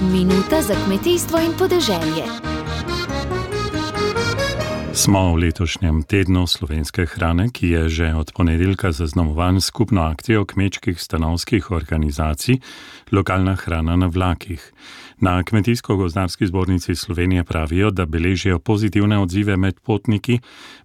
Minuta za kmetijstvo in podeželje. Smo v letošnjem tednu slovenske hrane, ki je že od ponedeljka zaznamovan skupno akcijo kmečkih stanovskih organizacij Lokalna hrana na vlakih. Na Kmetijsko-gozdarski zbornici Slovenije pravijo, da beležijo pozitivne odzive med potniki.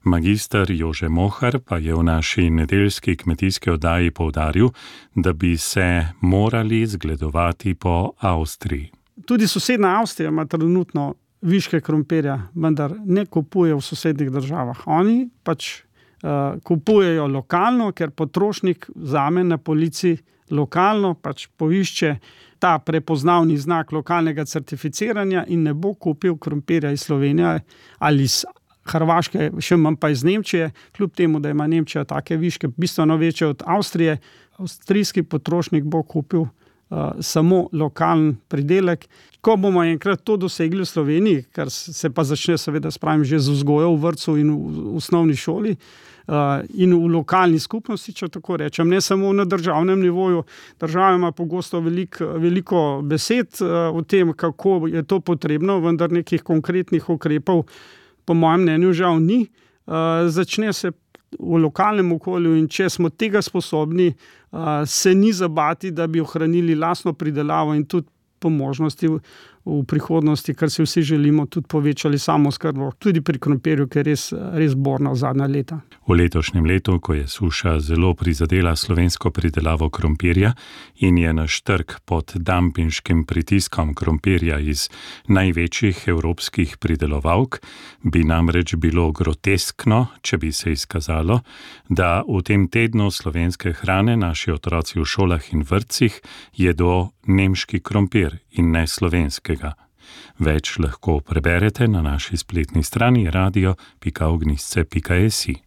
Magister Jože Mohar pa je v naši nedeljski kmetijski oddaji poudaril, da bi se morali zgledovati po Avstriji. Tudi sosednja Avstrija ima trenutno viške krompirja, vendar ne kupuje v sosednjih državah. Oni kupujejo lokalno, ker potrošnik vzame na polici lokalno, poišče ta prepoznavni znak lokalnega certificiranja in ne bo kupil krompirja iz Slovenije ali iz Hrvaške, še manj pa iz Nemčije, kljub temu, da ima Nemčija take viške bistveno večje od Avstrije. Avstrijski potrošnik bo kupil samo lokalen pridelek. Ko bomo enkrat to dosegli v Sloveniji, kar se pa začne seveda že z vzgojo v vrtcu in v osnovni šoli in v lokalni skupnosti, če tako rečem, ne samo na državnem nivoju. Država ima pogosto veliko besed o tem, kako je to potrebno, vendar nekih konkretnih ukrepov po mojem mnenju žal ni. Začne se v lokalnem okolju in če smo tega sposobni, se ni zabati, da bi ohranili lastno pridelavo in tudi po možnosti v prihodnosti, kar si vsi želimo, tudi povečali samooskrbo, tudi pri krompirju, ki je res borna v zadnja leta. V letošnjem letu, ko je suša zelo prizadela slovensko pridelavo krompirja in je naš trg pod dampinškim pritiskom krompirja iz največjih evropskih pridelovalk, bi namreč bilo groteskno, če bi se izkazalo, da v tem tednu slovenske hrane naši otroci v šolah in vrtcih jedo nemški krompir in ne slovenskega. Več lahko preberete na naši spletni strani radio.ognisce.si.